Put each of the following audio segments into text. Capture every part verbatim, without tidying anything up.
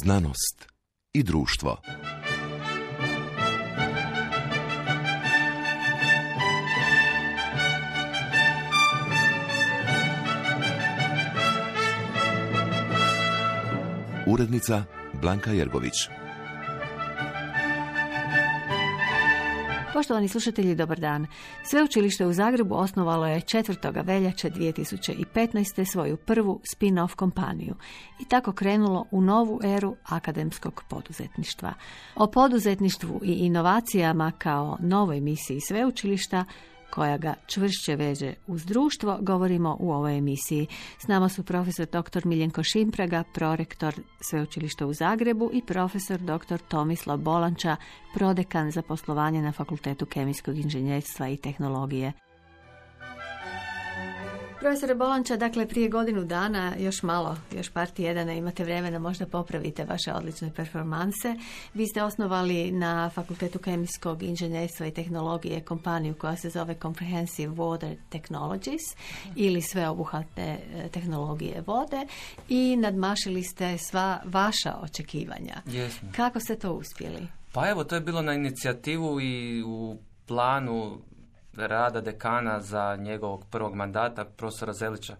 Znanost i društvo. Urednica Blanka Jergović. Poštovani slušatelji, dobar dan. Sveučilište u Zagrebu osnovalo je četvrtog veljače dvije tisuće petnaeste. svoju prvu spin-off kompaniju i tako krenulo u novu eru akademskog poduzetništva. O poduzetništvu i inovacijama kao novoj misiji sveučilišta koja ga čvršće veže uz društvo, govorimo u ovoj emisiji. S nama su profesor doktor Miljenko Šimpraga, prorektor Sveučilišta u Zagrebu, i profesor doktor Tomislav Bolanča, prodekan za poslovanje na Fakultetu kemijskog inženjerstva i tehnologije. Profesore Bolanča, dakle prije godinu dana, još malo, još par tjedana imate vremena, možda popravite vaše odlične performanse. Vi ste osnovali na Fakultetu kemijskog inženjerstva i tehnologije kompaniju koja se zove Comprehensive Water Technologies ili sveobuhvatne tehnologije vode i nadmašili ste sva vaša očekivanja. Jesmo. Kako ste to uspjeli? Pa evo, to je bilo na inicijativu i u planu rada dekana za njegovog prvog mandata, profesora Zelića,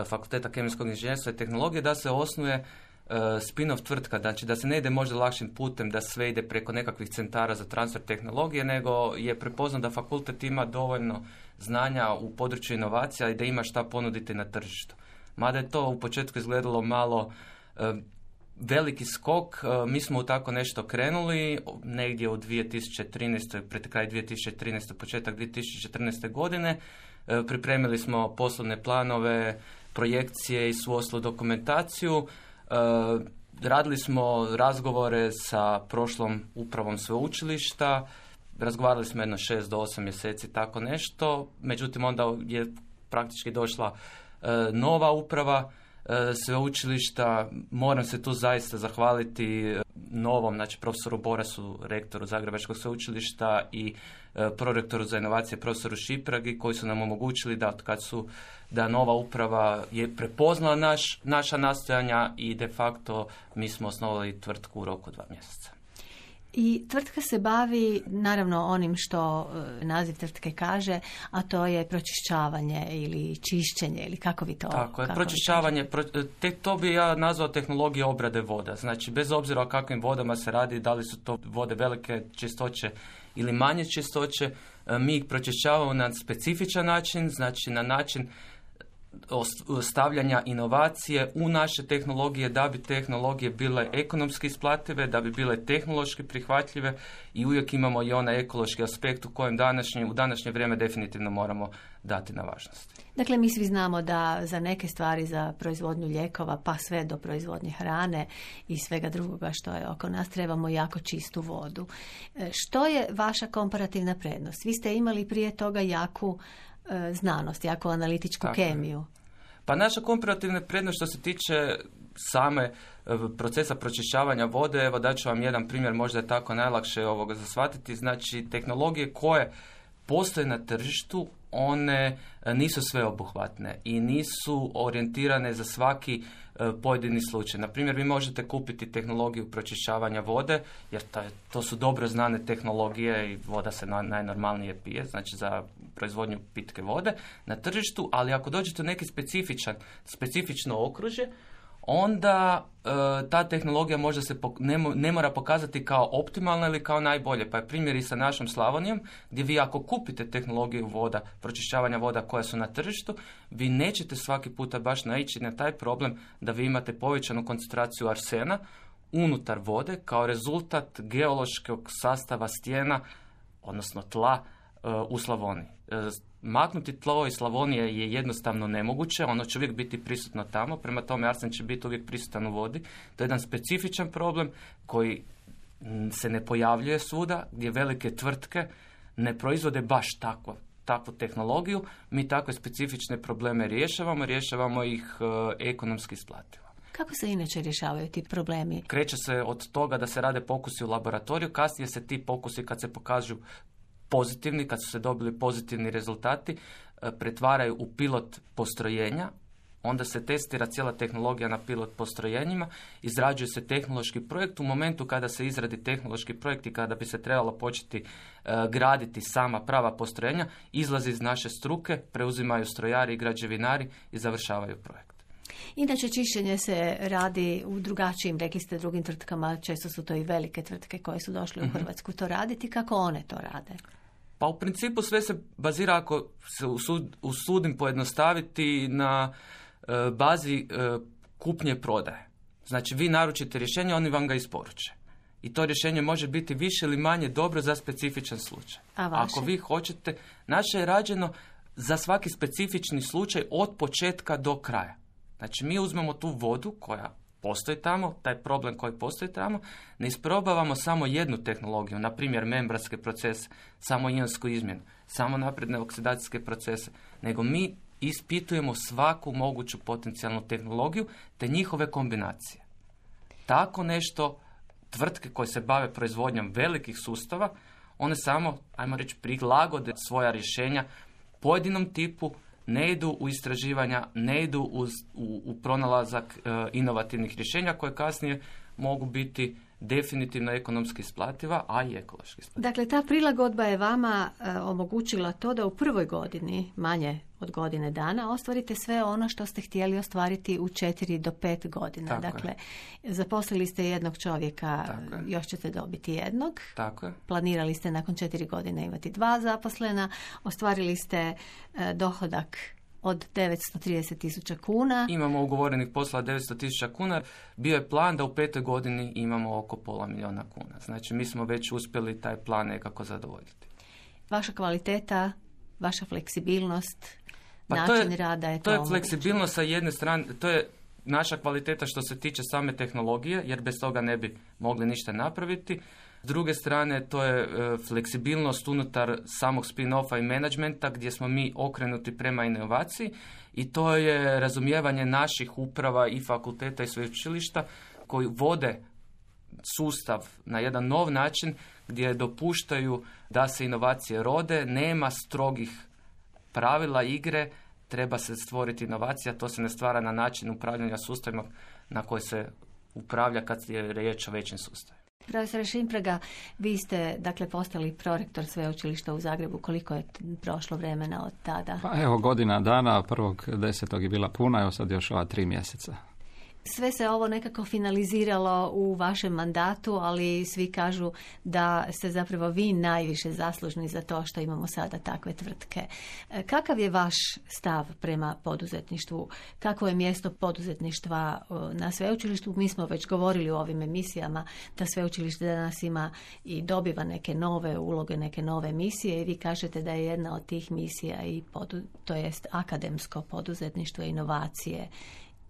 Fakulteta kemijskog inženjerstva i tehnologije, da se osnuje uh, spin-off tvrtka, znači da se ne ide možda lakšim putem, da sve ide preko nekakvih centara za transfer tehnologije, nego je prepoznao da fakultet ima dovoljno znanja u području inovacija i da ima šta ponuditi na tržištu. Mada je to u početku izgledalo malo uh, veliki skok, mi smo u tako nešto krenuli negdje u dvije tisuće trinaeste. pred kraj dvije tisuće trinaeste. početak dvije tisuće četrnaeste. godine. Pripremili smo poslovne planove, projekcije i svu ostlu dokumentaciju. Radili smo razgovore sa prošlom upravom sveučilišta, razgovarali smo jedno šest do osam mjeseci, tako nešto. Međutim, onda je praktički došla nova uprava sveučilišta. Moram se tu zaista zahvaliti novom, znači profesoru Borasu, rektoru Zagrebačkog sveučilišta, i prorektoru za inovacije profesoru Šipragi, koji su nam omogućili da kad su da nova uprava je prepoznala naš, naša nastojanja i de facto mi smo osnovali tvrtku u roku dva mjeseca. I tvrtka se bavi naravno onim što naziv tvrtke kaže, a to je pročišćavanje ili čišćenje, ili kako vi to... Tako je, pročišćavanje, pro, te, to bi ja nazvao tehnologije obrade voda. Znači, bez obzira o kakvim vodama se radi, da li su to vode velike čistoće ili manje čistoće, mi ih pročišćavamo na specifičan način, znači na način stavljanja inovacije u naše tehnologije, da bi tehnologije bile ekonomski isplative, da bi bile tehnološki prihvatljive, i uvijek imamo i onaj ekološki aspekt u kojem današnje, u današnje vrijeme definitivno moramo dati na važnosti. Dakle, mi svi znamo da za neke stvari, za proizvodnju lijekova pa sve do proizvodnje hrane i svega drugoga što je oko nas, trebamo jako čistu vodu. Što je vaša komparativna prednost? Vi ste imali prije toga jaku znanost, jako analitičku Tako kemiju. Je. Pa naša komparativna prednost što se tiče same procesa pročišćavanja vode, evo daću vam jedan primjer, možda je tako najlakše ovoga za shvatiti. Znači, tehnologije koje postoje na tržištu, one nisu sveobuhvatne i nisu orijentirane za svaki pojedini slučaj. Na primjer, vi možete kupiti tehnologiju pročišćavanja vode, jer to, to su dobro znane tehnologije i voda se na, najnormalnije pije, znači za proizvodnju pitke vode na tržištu, ali ako dođete u neki specifičan, specifično okružje, onda e, ta tehnologija možda se pok- ne, mo- ne mora pokazati kao optimalna ili kao najbolje. Pa je primjer i sa našom Slavonijom, gdje vi ako kupite tehnologiju voda, pročišćavanja voda koja su na tržištu, vi nećete svaki puta baš naići na taj problem da vi imate povećanu koncentraciju arsena unutar vode kao rezultat geološkog sastava stijena, odnosno tla e, u Slavoniji. E, Maknuti tlo iz Slavonije je jednostavno nemoguće, ono će uvijek biti prisutno tamo, prema tome arsen će biti uvijek prisutan u vodi. To je jedan specifičan problem koji se ne pojavljuje svuda, gdje velike tvrtke ne proizvode baš takvu, takvu tehnologiju. Mi takve specifične probleme rješavamo, rješavamo ih e, ekonomski isplativo. Kako se inače rješavaju ti problemi? Kreće se od toga da se rade pokusi u laboratoriju, kasnije se ti pokusi kad se pokažu pozitivni, kad su se dobili pozitivni rezultati, pretvaraju u pilot postrojenja. onda se testira cijela tehnologija na pilot postrojenjima, izrađuje se tehnološki projekt. U momentu kada se izradi tehnološki projekt i kada bi se trebalo početi uh, graditi sama prava postrojenja, izlazi iz naše struke, preuzimaju strojari i građevinari i završavaju projekt. Inače, čišćenje se radi u drugačijim, rekli ste, drugim tvrtkama, često su to i velike tvrtke koje su došle u Hrvatsku to raditi. Kako one to rade? Pa u principu sve se bazira, ako se usud, usudim pojednostaviti, na e, bazi e, kupnje i prodaje. Znači, vi naručite rješenje, oni vam ga isporuče. I to rješenje može biti više ili manje dobro za specifičan slučaj. A vaše? Ako vi hoćete, naše je rađeno za svaki specifični slučaj od početka do kraja. Znači, mi uzmemo tu vodu koja postoji tamo, taj problem koji postoji tamo, ne isprobavamo samo jednu tehnologiju, na primjer membranske procese, samo ionsku izmjenu, samo napredne oksidacijske procese, nego mi ispitujemo svaku moguću potencijalnu tehnologiju te njihove kombinacije. Tako nešto tvrtke koje se bave proizvodnjom velikih sustava, one samo, ajmo reći, prilagode svoja rješenja pojedinom tipu, ne idu u istraživanja, ne idu uz, u, u pronalazak e, inovativnih rješenja koje kasnije mogu biti definitivno ekonomski isplativa, a i ekološki isplativa. Dakle, ta prilagodba je vama e, omogućila to da u prvoj godini, manje od godine dana, ostvarite sve ono što ste htjeli ostvariti u četiri do pet godina. Tako dakle, je. Zaposlili ste jednog čovjeka, još ćete dobiti jednog. Tako je. Planirali ste nakon četiri godine imati dva zaposlena. Ostvarili ste e, dohodak od devetsto trideset tisuća kuna. Imamo ugovorenih posla devetsto tisuća kuna. Bio je plan da u petoj godini imamo oko pola milijuna kuna. Znači, mi smo već uspjeli taj plan nekako zadovoljiti. Vaša kvaliteta, vaša fleksibilnost, pa način to je, rada je to. To je fleksibilnost sa jedne strane, to je naša kvaliteta što se tiče same tehnologije, jer bez toga ne bi mogli ništa napraviti. S druge strane, to je e, fleksibilnost unutar samog spin-offa i menadžmenta gdje smo mi okrenuti prema inovaciji i to je razumijevanje naših uprava i fakulteta i sveučilišta koji vode sustav na jedan nov način gdje dopuštaju da se inovacije rode, nema strogih pravila igre, treba se stvoriti inovacija, to se ne stvara na način upravljanja sustavima na koji se upravlja kad je riječ o većim sustavima. Profesor Šimpraga, vi ste dakle postali prorektor sveučilišta u Zagrebu. Koliko je prošlo vremena od tada? Pa evo, godina dana, prvog desetog je bila puna, evo sad još ova tri mjeseca. Sve se ovo nekako finaliziralo u vašem mandatu, ali svi kažu da ste zapravo vi najviše zaslužni za to što imamo sada takve tvrtke. Kakav je vaš stav prema poduzetništvu? Kako je mjesto poduzetništva na sveučilištu? Mi smo već govorili u ovim emisijama da sveučilište danas ima i dobiva neke nove uloge, neke nove misije i vi kažete da je jedna od tih misija i podu, to jest akademsko poduzetništvo i inovacije.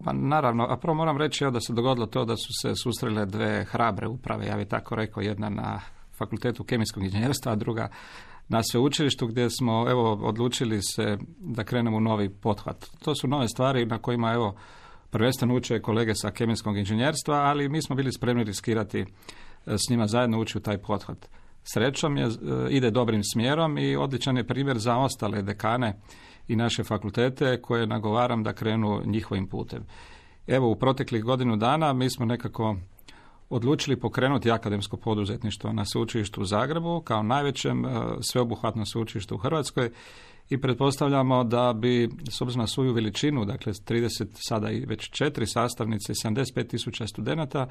Pa naravno, a prvo moram reći da se dogodilo to da su se susrele dve hrabre uprave, ja bih tako rekao, jedna na Fakultetu kemijskog inženjerstva, a druga na sveučilištu gdje smo evo odlučili se da krenemo u novi pothvat. To su nove stvari na kojima evo prvenstveno uče kolege sa kemijskog inženjerstva, ali mi smo bili spremni riskirati s njima zajedno ući u taj pothvat. Srećom je, ide dobrim smjerom i odličan je primjer za ostale dekane i naše fakultete koje nagovaram da krenu njihovim putem. Evo, u proteklih godinu dana mi smo nekako odlučili pokrenuti akademsko poduzetništvo na sveučilištu u Zagrebu kao najvećem sveobuhvatnom sveučilištu u Hrvatskoj i pretpostavljamo da bi, s obzirom na svoju veličinu, dakle trideset, sada i već četiri sastavnice i sedamdeset pet tisuća studenata,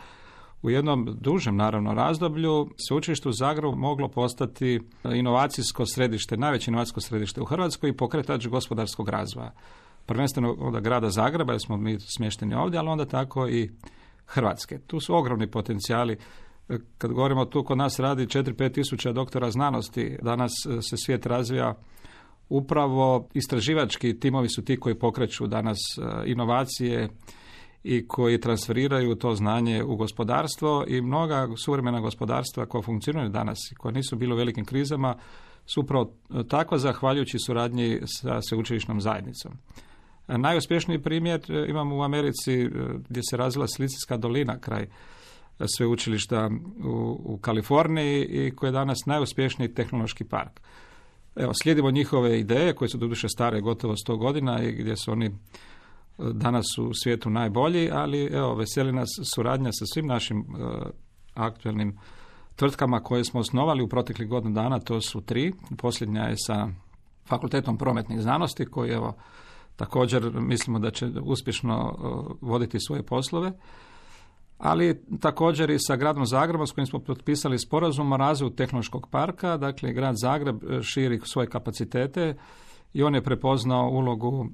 u jednom dužem, naravno, razdoblju sveučilište u Zagrebu moglo postati inovacijsko središte, najveće inovacijsko središte u Hrvatskoj i pokretač gospodarskog razvoja. Prvenstveno od grada Zagreba, jer smo mi smješteni ovdje, ali onda tako i Hrvatske. Tu su ogromni potencijali. Kad govorimo tu, kod nas radi četiri do pet tisuća doktora znanosti. Danas se svijet razvija upravo istraživački timovi su ti koji pokreću danas inovacije i koji transferiraju to znanje u gospodarstvo i mnoga suvremena gospodarstva koja funkcioniraju danas i koja nisu bile u velikim krizama su upravo takva zahvaljujući suradnji sa sveučilišnom zajednicom. Najuspješniji primjer imamo u Americi gdje se razvila Silicijska dolina kraj sveučilišta u, u Kaliforniji i koji je danas najuspješniji tehnološki park. Evo, slijedimo njihove ideje koje su doduše stare gotovo sto godina i gdje su oni danas u svijetu najbolji, ali evo, veseli nas suradnja sa svim našim uh, aktualnim tvrtkama koje smo osnovali u proteklih godinu dana, to su tri. Posljednja je sa Fakultetom prometnih znanosti, koji evo također mislimo da će uspješno uh, voditi svoje poslove, ali također i sa gradom Zagrebom s kojim smo potpisali sporazum o razvoju tehnološkog parka. Dakle, grad Zagreb širi svoje kapacitete i on je prepoznao ulogu uh,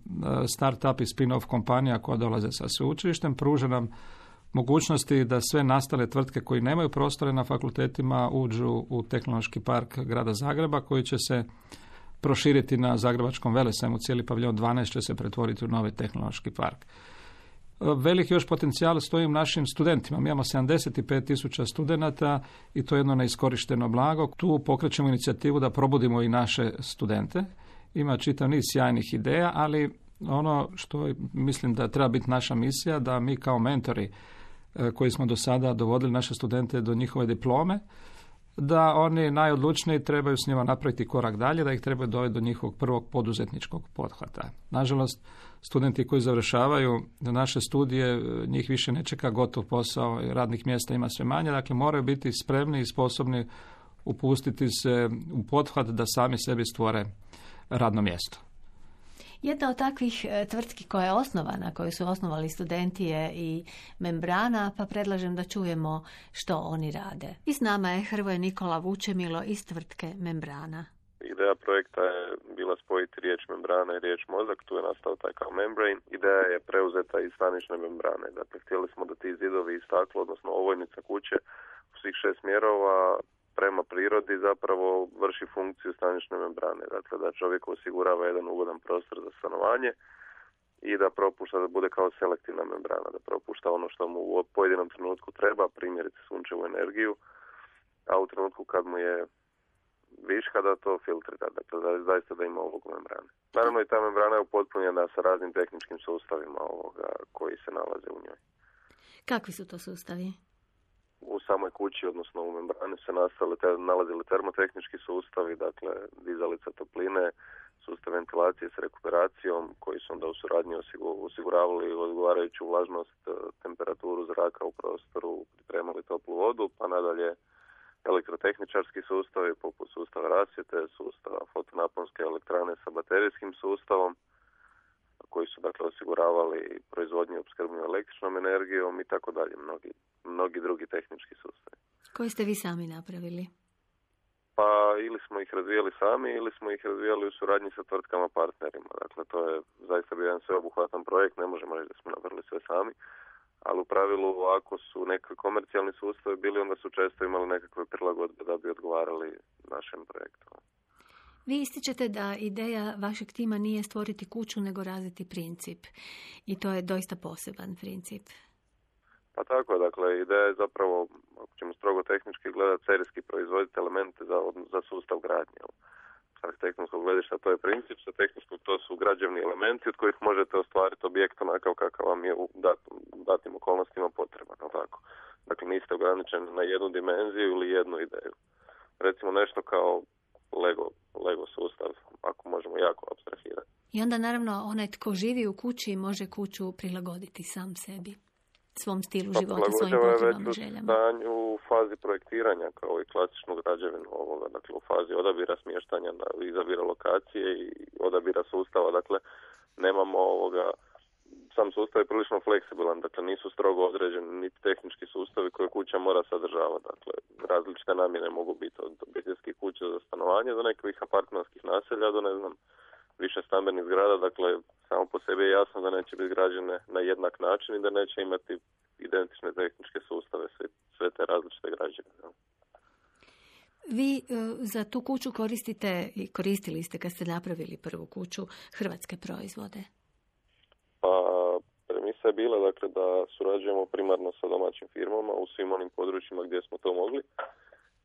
start-up i spin-off kompanija koja dolaze sa sveučilištem, pruža nam mogućnosti da sve nastale tvrtke koji nemaju prostore na fakultetima uđu u tehnološki park grada Zagreba, koji će se proširiti na Zagrebačkom Velesajmu. Cijeli paviljon dvanaest će se pretvoriti u novi tehnološki park. Veliki još potencijal stoji u našim studentima. Mi imamo sedamdeset pet tisuća studenata i to je jedno neiskorišteno blago. Tu pokrećemo inicijativu da probudimo i naše studente. Ima čitav niz sjajnih ideja, ali ono što mislim da treba biti naša misija, da mi kao mentori koji smo do sada dovodili naše studente do njihove diplome, da oni najodlučniji trebaju s njima napraviti korak dalje, da ih trebaju dovesti do njihovog prvog poduzetničkog pothvata. Nažalost, studenti koji završavaju naše studije, njih više ne čeka gotov posao, radnih mjesta ima sve manje, dakle moraju biti spremni i sposobni upustiti se u pothvat da sami sebi stvore radno mjesto. Jedna od takvih tvrtki koja je osnovana, koju su osnovali studenti je i Membrana, pa predlažem da čujemo što oni rade. I s nama je Hrvoje Nikola Vučemilo iz tvrtke Membrana. Ideja projekta je bila spojiti riječ membrana i riječ mozak, tu je nastao taj kao membrane. Ideja je preuzeta iz stanične membrane, dakle htjeli smo da ti zidovi i staklo, odnosno ovojnica kuće u svih šest smjerova prema prirodi zapravo vrši funkciju stanične membrane, dakle da čovjek osigurava jedan ugodan prostor za stanovanje i da propušta, da bude kao selektivna membrana, da propušta ono što mu u pojedinom trenutku treba, primjerice sunčevu energiju, a u trenutku kad mu je viška da to filtrira, dakle da zaista da ima ovog membrane. Naravno i ta membrana je upotpunjena sa raznim tehničkim sustavima ovoga koji se nalaze u njoj. Kakvi su to sustavi? U samoj kući, odnosno u membrani se nastale, te, nalazili termotehnički sustavi, dakle dizalica topline, sustav ventilacije s rekuperacijom, koji su onda u suradnji osiguravali odgovarajuću vlažnost, temperaturu zraka u prostoru, pripremali toplu vodu, pa nadalje elektrotehničarski sustavi poput sustava rasvjete, sustava fotonaponske elektrane sa baterijskim sustavom, koji su dakle osiguravali proizvodnju i opskrbu električnom energijom i tako dalje, mnogi, mnogi drugi tehnički sustavi. Koji ste vi sami napravili? Pa ili smo ih razvijali sami ili smo ih razvijali u suradnji sa tvrtkama partnerima. Dakle, to je zaista bio jedan sveobuhvatan projekt, ne možemo reći da smo napravili sve sami, ali u pravilu ako su nekakvi komercijalni sustavi bili, onda su često imali nekakve prilagodbe da bi odgovarali našem projektu. Vi ističete da ideja vašeg tima nije stvoriti kuću, nego razviti princip. I to je doista poseban princip. Pa tako, dakle, ideja je zapravo, ako ćemo strogo tehnički gledati, serijski proizvoditi elemente za, za sustav gradnje. Sa tehničkog gledišta to je princip, sa tehničkog to su građevni elementi od kojih možete ostvariti objekt onakav kakav vam je u datim, datim okolnostima potreban. Tako. Dakle, niste ograničeni na jednu dimenziju ili jednu ideju. Recimo nešto kao Lego, Lego sustav, ako možemo jako apstrahirati. I onda naravno onaj tko živi u kući može kuću prilagoditi sam sebi, svom stilu života, svojim potrebama, željama. U fazi projektiranja kao i klasičnu građevinu ovoga, dakle u fazi odabira smještanja, izabira lokacije i odabira sustava, dakle nemamo ovoga, sam sustav je prilično fleksibilan, dakle nisu strogo određeni niti tehnički sustavi koje kuća mora sadržavati, dakle različite namjene mogu biti od obiteljskih kuća za stanovanje do nekih apartmanskih naselja do ne znam više stambenih zgrada, dakle samo po sebi je jasno da neće biti građene na jednak način i da neće imati identične tehničke sustave, sve, sve te različite građevine. Vi uh, za tu kuću koristite i koristili ste kad ste napravili prvu kuću hrvatske proizvode? Pa premisa je bila dakle da surađujemo primarno sa domaćim firmama u svim onim područjima gdje smo to mogli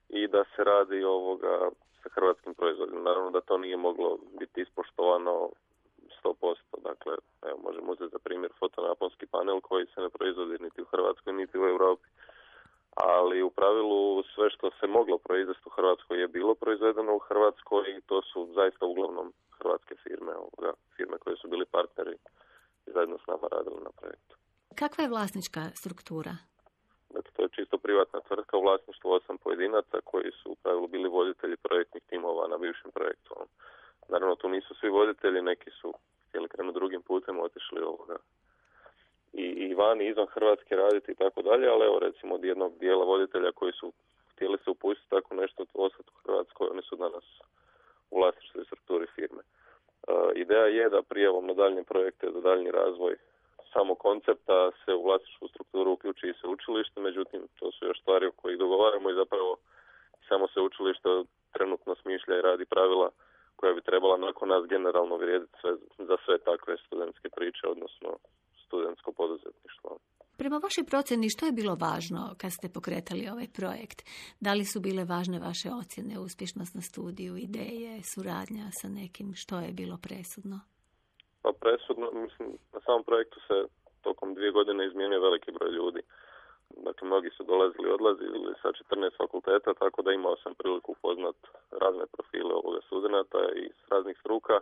i da se radi ovoga sa hrvatskim proizvodima. Naravno da to nije moglo biti ispoštovano sto posto. Dakle, evo, možemo uzeti za primjer fotonaponski panel koji se ne proizvodi niti u Hrvatskoj niti u Europi. Ali u pravilu sve što se moglo proizvesti u Hrvatskoj je bilo proizvedeno u Hrvatskoj i to su zaista uglavnom hrvatske firme, ovoga, firme koje su bili partneri zajedno s nama radili na projektu. Kakva je vlasnička struktura? Dakle, to je čisto privatna tvrtka u vlasništvu osam pojedinaca koji su u pravilu bili voditelji projektnih timova na bivšem projektu. Naravno, tu nisu svi voditelji, neki su htjeli krenuti drugim putem, otišli ovoga i, i vani, izvan Hrvatske raditi i tako dalje, ali evo recimo od jednog dijela voditelja koji su htjeli se upustiti tako nešto ostati u Hrvatskoj, oni su danas u vlasništvu i strukturi firme. Uh, ideja je da prijavom na daljnje projekte za daljnji razvoj samo koncepta se u vlasničku strukturu uključi i sveučilište, međutim to su još stvari o kojih dogovaramo i zapravo samo sveučilište trenutno smišlja i radi pravila koja bi trebala nakon nas generalno vrijediti sve, za sve takve studentske priče, odnosno studentsko poduzetništvo. Prema vašoj procjeni, što je bilo važno kad ste pokretali ovaj projekt? Da li su bile važne vaše ocjene, uspješnost na studiju, ideje, suradnja sa nekim? Što je bilo presudno? Pa presudno, mislim, na samom projektu se tokom dvije godine izmijenio veliki broj ljudi. Dakle, mnogi su dolazili i odlazili sa četrnaest fakulteta, tako da imao sam priliku upoznat razne profile ovoga studenata i s raznih struka.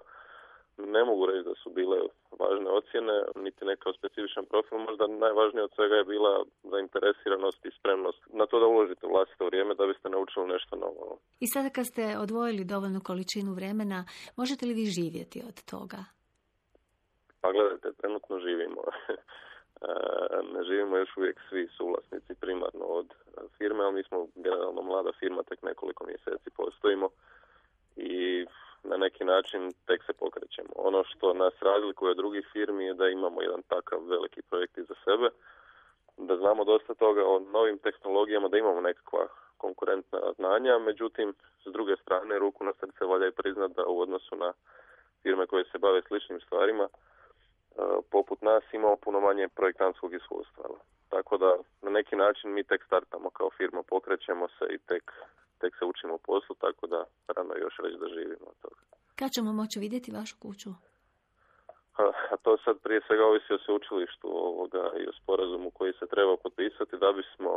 Ne mogu reći da su bile važne ocjene, niti nekao specifičan profil. Možda najvažnije od svega je bila zainteresiranost i spremnost na to da uložite vlastito vrijeme da biste naučili nešto novo. I sada kad ste odvojili dovoljnu količinu vremena, možete li vi živjeti od toga? Pa gledajte, trenutno živimo. Ne živimo još uvijek svi suvlasnici primarno od firme, ali mi smo generalno mlada firma, tek nekoliko mjeseci postojimo i na neki način tek se pokrećemo. Ono što nas razlikuje od drugih firmi je da imamo jedan takav veliki projekt iza sebe, da znamo dosta toga o novim tehnologijama, da imamo nekakva konkurentna znanja, međutim, s druge strane, ruku na srce valja i priznat da u odnosu na firme koje se bave sličnim stvarima, poput nas imamo puno manje projektantskog iskustva. Tako da na neki način mi tek startamo kao firma, pokrećemo se i tek, tek se učimo poslu, tako da rano još reći da živimo od toga. Kad ćemo moći vidjeti vašu kuću? A, a to sad prije svega ovisi o sveučilištu ovoga i o sporazumu koji se treba potpisati da bismo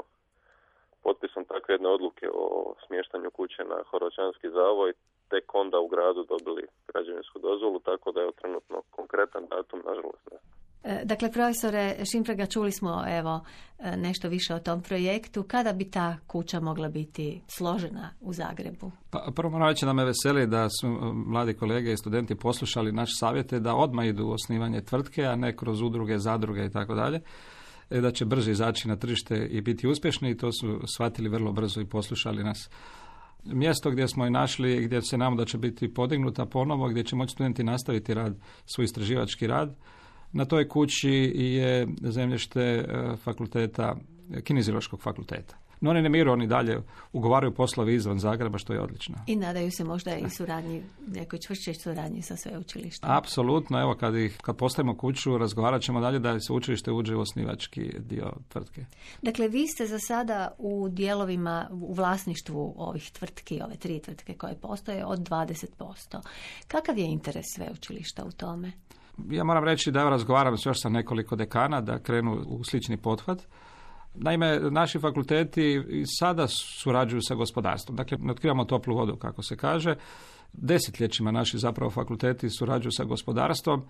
potpisom takve jedne odluke o smještanju kuće na Horvaćanski zavoj tek onda u gradu dobili građevinsku dozvolu, tako da je trenutno konkretan datum, nažalost ne. Dakle, profesore Šimpraga, čuli smo evo nešto više o tom projektu. Kada bi ta kuća mogla biti složena u Zagrebu? Pa, prvo moram reći da me veseli da su mladi kolege i studenti poslušali naše savjete da odmah idu u osnivanje tvrtke, a ne kroz udruge, zadruge i tako dalje. Da će brže izaći na tržište i biti uspješni i to su shvatili vrlo brzo i poslušali nas. Mjesto gdje smo i našli, gdje se nam da će biti podignuta ponovo, gdje će moći studenti nastaviti rad, svoj istraživački rad. Na toj kući je zemljište fakulteta, kineziološkog fakulteta. No oni ne miru, oni dalje ugovaraju poslovi izvan Zagreba, što je odlično. I nadaju se možda i suradnji, nekoj čvršćoj suradnji sa sveučilištem. Apsolutno, evo kad, ih, kad postavimo kuću, razgovarat ćemo dalje da sveučilište uđe u osnivački dio tvrtke. Dakle, vi ste za sada u dijelovima, u vlasništvu ovih tvrtki, ove tri tvrtke koje postoje, od dvadeset posto. Kakav je interes sveučilišta u tome? Ja moram reći da razgovaram još sa nekoliko dekana da krenu u slični pothvat. Naime, naši fakulteti i sada surađuju sa gospodarstvom. Dakle, ne otkrivamo toplu vodu, kako se kaže. Desetljećima naši zapravo fakulteti surađuju sa gospodarstvom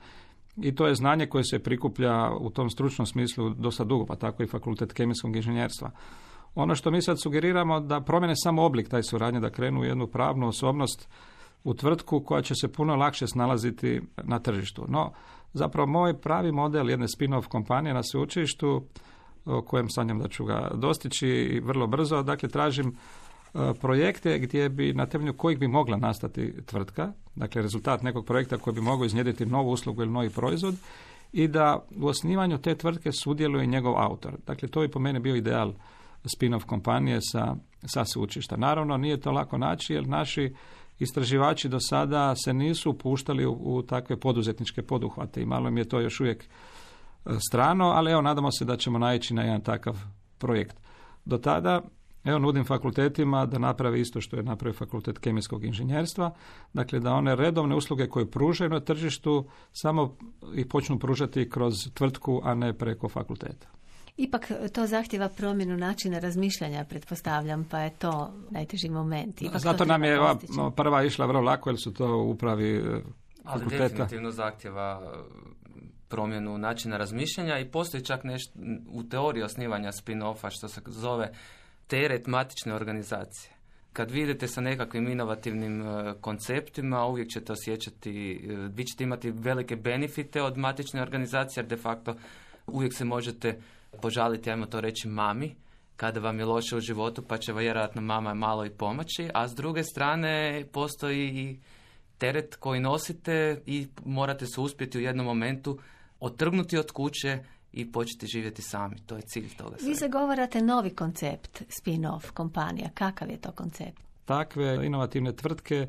i to je znanje koje se prikuplja u tom stručnom smislu dosta dugo, pa tako i fakultet kemijskog inženjerstva. Ono što mi sad sugeriramo da promjene samo oblik taj suradnje, da krenu u jednu pravnu osobnost u tvrtku koja će se puno lakše snalaziti na tržištu. No, zapravo moj pravi model jedne spin-off kompanije na sveučilištu, o kojem sanjam da ću ga dostići i vrlo brzo, dakle tražim projekte gdje bi, na temelju kojih bi mogla nastati tvrtka, dakle rezultat nekog projekta koji bi mogao iznjedriti novu uslugu ili novi proizvod i da u osnivanju te tvrtke sudjeluje njegov autor. Dakle, to bi po meni bio ideal spin-off kompanije sa, sa sveučilišta. Naravno, nije to lako naći jer naši istraživači do sada se nisu upuštali u, u takve poduzetničke poduhvate i malo mi je to još uvijek strano, ali evo nadamo se da ćemo naići na jedan takav projekt. Do tada, evo nudim fakultetima da naprave isto što je napravio fakultet kemijskog inženjerstva, dakle da one redovne usluge koje pružaju na tržištu samo ih počnu pružati kroz tvrtku, a ne preko fakulteta. Ipak to zahtjeva promjenu načina razmišljanja, pretpostavljam, pa je to najteži moment. Ipak zato nam je ova prva išla vrlo lako, jer su to upravi fakulteta. Ali definitivno zahtjeva promjenu načina razmišljanja i postoji čak nešto u teoriji osnivanja spin-offa što se zove teret matične organizacije. Kad vidite sa nekakvim inovativnim uh, konceptima, uvijek ćete osjećati, uh, vi ćete imati velike benefite od matične organizacije, jer de facto uvijek se možete požaliti, ajmo to reći, mami, kada vam je loše u životu, pa će vjerojatno mama malo i pomoći, a s druge strane postoji i teret koji nosite i morate se uspjeti u jednom momentu otrgnuti od kuće i početi živjeti sami. To je cilj toga. Vi zagovarate novi koncept spin-off kompanija. Kakav je to koncept? Takve inovativne tvrtke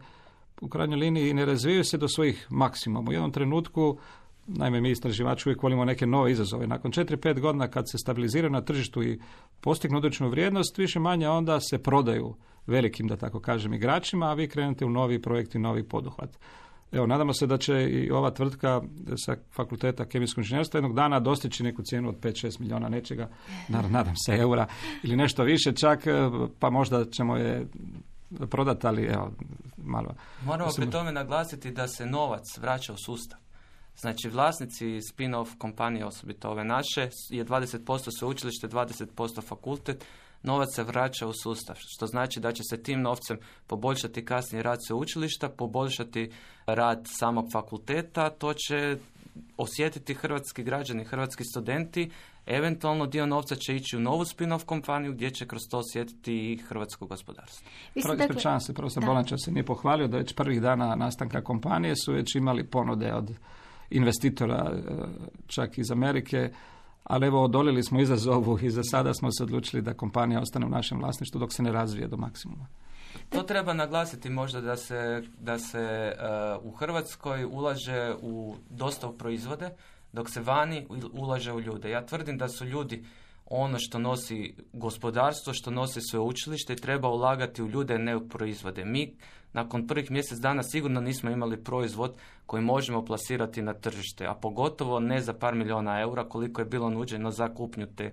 u krajnjoj liniji ne razvijaju se do svojih maksimuma. U jednom trenutku, naime mi istraživači uvijek volimo neke nove izazove. Nakon četiri pet godina kad se stabiliziraju na tržištu i postignu određenu vrijednost, više manje onda se prodaju velikim, da tako kažem, igračima, a vi krenete u novi projekt i novi poduhvat. Evo, nadamo se da će i ova tvrtka sa fakulteta kemijskog inženjerstva jednog dana dostići neku cijenu od pet šest milijuna nečega, nadam se eura ili nešto više čak, pa možda ćemo je prodati, ali evo, malo. Moramo pri tome naglasiti da se novac vraća u sustav. Znači, vlasnici spin-off kompanije, osobito ove naše, je dvadeset posto sveučilište, dvadeset posto fakultet, novac se vraća u sustav, što znači da će se tim novcem poboljšati kasnije rad sveučilišta, poboljšati rad samog fakulteta, to će osjetiti hrvatski građani, hrvatski studenti, eventualno dio novca će ići u novu spin-off kompaniju gdje će kroz to osjetiti i hrvatsko gospodarstvo. Ispričavam se, profesor Bolanča se nije pohvalio da već prvih dana nastanka kompanije su već imali ponude od investitora, čak iz Amerike, ali evo odoljeli smo izazovu i za sada smo se odlučili da kompanija ostane u našem vlasništvu dok se ne razvije do maksimuma. To treba naglasiti možda da se, da se uh, u Hrvatskoj ulaže u dosta u proizvode, dok se vani ulaže u ljude. Ja tvrdim da su ljudi ono što nosi gospodarstvo, što nosi sveučilište i treba ulagati u ljude, ne u proizvode. Mi nakon prvih mjesec dana sigurno nismo imali proizvod koji možemo plasirati na tržište, a pogotovo ne za par milijuna eura koliko je bilo nuđeno za kupnju te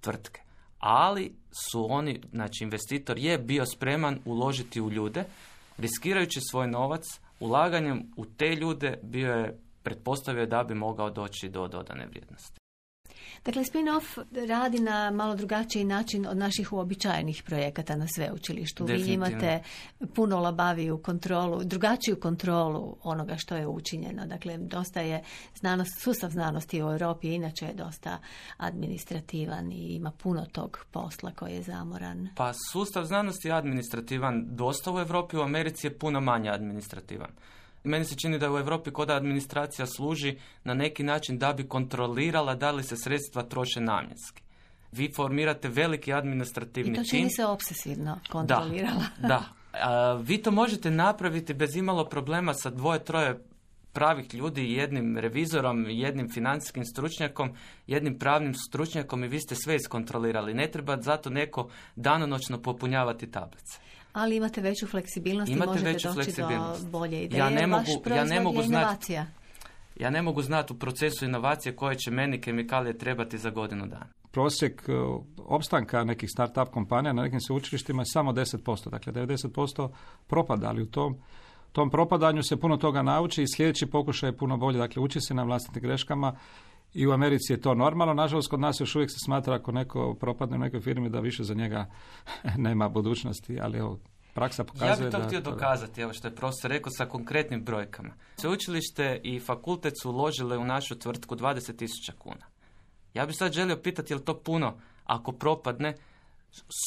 tvrtke. Ali su oni, znači investitor je bio spreman uložiti u ljude, riskirajući svoj novac, ulaganjem u te ljude bio je pretpostavio da bi mogao doći do dodane vrijednosti. Dakle, spin-off radi na malo drugačiji način od naših uobičajenih projekata na sveučilištu. Vi imate puno labaviju kontrolu, drugačiju kontrolu onoga što je učinjeno. Dakle, dosta je znanost, sustav znanosti u Europi inače je dosta administrativan i ima puno tog posla koji je zamoran. Pa sustav znanosti je administrativan dosta u Europi, u Americi je puno manje administrativan. Meni se čini da u Europi kod administracija služi na neki način da bi kontrolirala da li se sredstva troše namjenski. Vi formirate veliki administrativni tim. I to čini se obsesivno kontrolirala. Da, da. A, vi to možete napraviti bez imalo problema sa dvoje, troje pravih ljudi, jednim revizorom, jednim financijskim stručnjakom, jednim pravnim stručnjakom i vi ste sve iskontrolirali. Ne treba zato neko danonoćno popunjavati tablice. Ali imate veću fleksibilnost imate i možete veću doći do bolje ideje. Ja ne mogu, ja ne mogu znati. Ja ne mogu znati u procesu inovacije koje će meni kemikalije trebati za godinu dana. Prosjek uh, opstanka nekih start-up kompanija na nekim sveučilištima je samo deset posto. Dakle, devedeset posto propada, ali u tom, tom propadanju se puno toga nauči i sljedeći pokušaj je puno bolje. Dakle, uči se na vlastitim greškama i u Americi je to normalno. Nažalost, kod nas još uvijek se smatra ako neko propadne u nekoj firmi da više za njega nema budućnosti, ali evo, praksa pokazuje da... Ja bih to da, htio dokazati, evo što je profesor rekao, sa konkretnim brojkama. Sveučilište i fakultet su uložile u našu tvrtku dvadeset tisuća kuna. Ja bih sad želio pitati je li to puno ako propadne,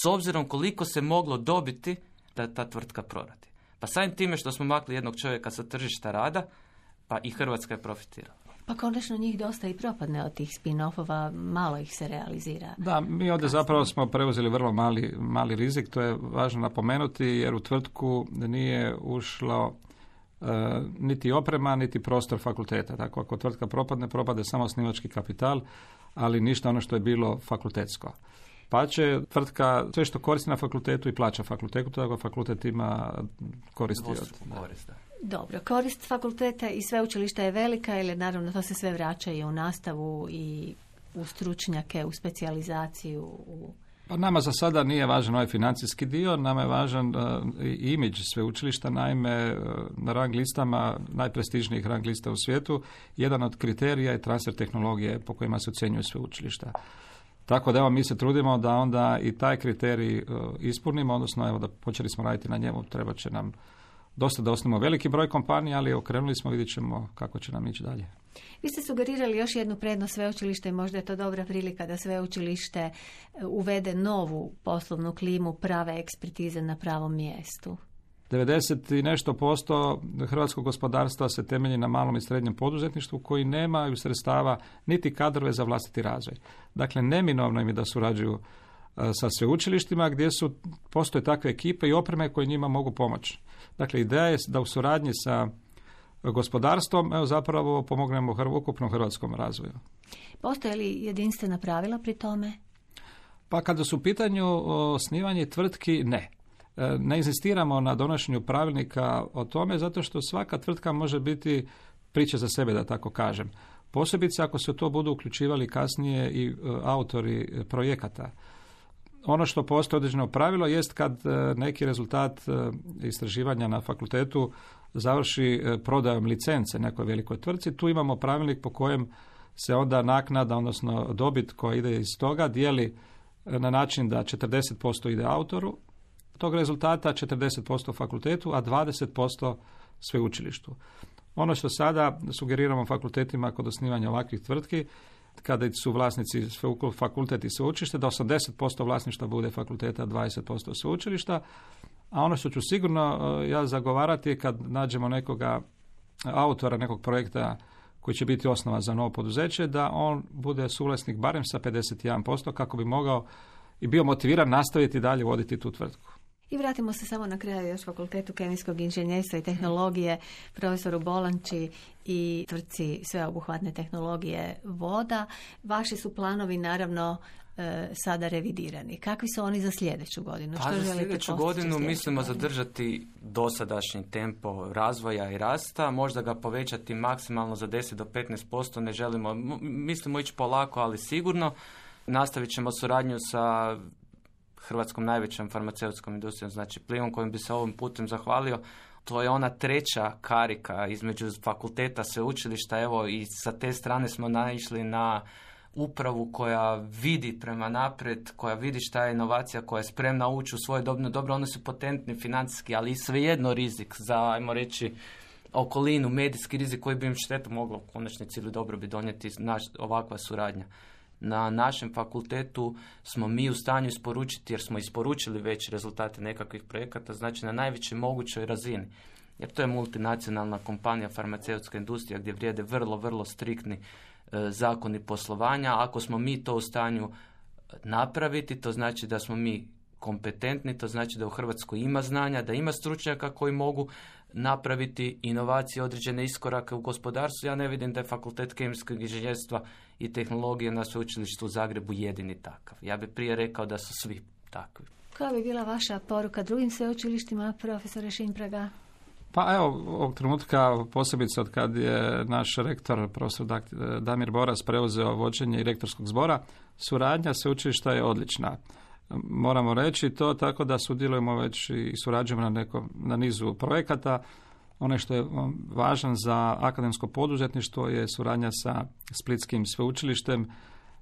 s obzirom koliko se moglo dobiti da ta tvrtka proradi. Pa samim time što smo makli jednog čovjeka sa tržišta rada, pa i Hrvatska je profitirala. Pa konačno njih dosta i propadne od tih spin-offova, malo ih se realizira. Da, mi ovdje zapravo smo preuzeli vrlo mali, mali rizik, to je važno napomenuti, jer u tvrtku nije ušlo uh, niti oprema, niti prostor fakulteta. Tako ako tvrtka propadne, propade samo osnivački kapital, ali ništa ono što je bilo fakultetsko. Pa će tvrtka sve što koristi na fakultetu i plaća fakultetu, tako fakultet ima koristi od... Korist, da. Dobro, korist fakulteta i sveučilišta je velika, jer naravno to se sve vraća i u nastavu i u stručnjake, u specijalizaciju, u Pa nama za sada nije važan ovaj financijski dio, nama je važan uh, imidž sveučilišta, naime uh, na rang listama, najprestižnijih rang lista u svijetu, jedan od kriterija je transfer tehnologije po kojima se ocjenjuju sveučilišta. Tako da evo mi se trudimo da onda i taj kriterij uh, ispunimo, odnosno evo da počeli smo raditi na njemu, treba će nam dosta da osnimo veliki broj kompanija, ali okrenuli smo, vidjet ćemo kako će nam ići dalje. Vi ste sugerirali još jednu prednost sveučilišta i možda je to dobra prilika da sveučilište uvede novu poslovnu klimu, prave ekspertize na pravom mjestu. devedeset i nešto posto hrvatskog gospodarstva se temelji na malom i srednjem poduzetništvu koji nemaju sredstava niti kadrove za vlastiti razvoj. Dakle, neminovno im je da surađuju sa sveučilištima gdje su, postoje takve ekipe i opreme koje njima mogu pomoći. Dakle, ideja je da u suradnji sa gospodarstvom evo, zapravo pomognemo hr- ukupnom hrvatskom razvoju. Postoje li jedinstvena pravila pri tome? Pa kada su u pitanju osnivanje tvrtki, ne. Ne inzistiramo na donošenju pravilnika o tome zato što svaka tvrtka može biti priča za sebe, da tako kažem. Posebice ako se to budu uključivali kasnije i autori projekata. Ono što postoji određeno pravilo jest kad neki rezultat istraživanja na fakultetu završi prodajom licence nekoj velikoj tvrtci, tu imamo pravilnik po kojem se onda naknada, odnosno dobit koja ide iz toga, dijeli na način da četrdeset posto ide autoru tog rezultata, četrdeset posto fakultetu, a dvadeset posto sveučilištu. Ono što sada sugeriramo fakultetima kod osnivanja ovakvih tvrtki, kada su vlasnici fakultet i sveučilište, da osamdeset posto vlasništva bude fakulteta, dvadeset posto sveučilišta, a ono što ću sigurno ja zagovarati je kad nađemo nekoga autora nekog projekta koji će biti osnova za novo poduzeće, da on bude suvlasnik barem sa pedeset jedan posto kako bi mogao i bio motiviran nastaviti dalje voditi tu tvrtku. I vratimo se samo na kraju još Fakultetu kemijskog inženjerstva i tehnologije, profesoru Bolanči i tvrtci sveobuhvatne tehnologije voda. Vaši su planovi naravno e, sada revidirani. Kakvi su oni za sljedeću godinu? Pa Što za želite sljedeću postići godinu sljedeću mislimo godinu? zadržati dosadašnji tempo razvoja i rasta, možda ga povećati maksimalno za deset do petnaest posto, ne želimo, mislimo ići polako, ali sigurno. Nastavit ćemo suradnju sa hrvatskom najvećom farmaceutskom industrijom, znači Plivom, kojim bi se ovim putem zahvalio. To je ona treća karika između fakulteta, sveučilišta, evo i sa te strane smo naišli na upravu koja vidi prema naprijed, koja vidi šta je inovacija, koja je spremna ući u svoje dobno dobro, oni su potentni financijski, ali i svejedno rizik za, ajmo reći, okolinu, medijski rizik koji bi im štetu moglo u konačnici ili dobro bi donijeti naš, ovakva suradnja. Na našem fakultetu smo mi u stanju isporučiti, jer smo isporučili već rezultate nekakvih projekata, znači na najvećoj mogućoj razini. Jer to je multinacionalna kompanija, farmaceutska industrija, gdje vrijede vrlo, vrlo striktni e, zakoni poslovanja. Ako smo mi to u stanju napraviti, to znači da smo mi kompetentni, to znači da u Hrvatskoj ima znanja, da ima stručnjaka koji mogu napraviti inovacije, određene iskorake u gospodarstvu. Ja ne vidim da je Fakultet kemijskog inženjerstva i tehnologije na sveučilištu u Zagrebu jedini takav. Ja bih prije rekao da su svi takvi. Koja bi bila vaša poruka drugim sveučilištima, profesore Šimpraga? Pa evo, ovog trenutka, posebice od kad je naš rektor, profesor Damir Boras, preuzeo vođenje i rektorskog zbora, suradnja sveučilišta je odlična. Moramo reći to tako da sudjelujemo već i surađujemo na, neko, na nizu projekata. Ono što je važan za akademsko poduzetništvo je suradnja sa Splitskim sveučilištem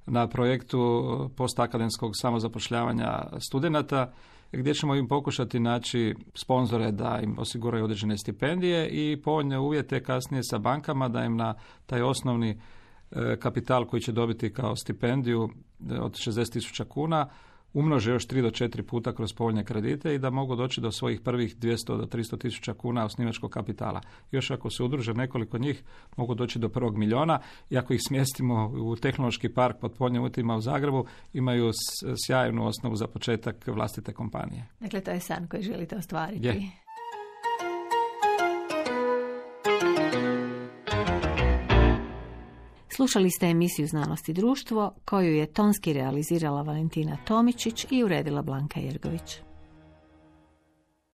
na projektu postakademskog samozapošljavanja studenata, gdje ćemo im pokušati naći sponzore da im osiguraju određene stipendije i povoljne uvjete kasnije sa bankama da im na taj osnovni kapital koji će dobiti kao stipendiju od šezdeset tisuća kuna umnože još tri do četiri puta kroz povoljne kredite i da mogu doći do svojih prvih dvjesto do tristo tisuća kuna osnivačkog kapitala. Još ako se udruže nekoliko njih, mogu doći do prvog milijuna i ako ih smjestimo u tehnološki park pod povoljnim uvjetima u Zagrebu, imaju sjajnu osnovu za početak vlastite kompanije. Dakle, to je san koji želite ostvariti. Je. Slušali ste emisiju Znanost i društvo koju je tonski realizirala Valentina Tomičić i uredila Blanka Jergović.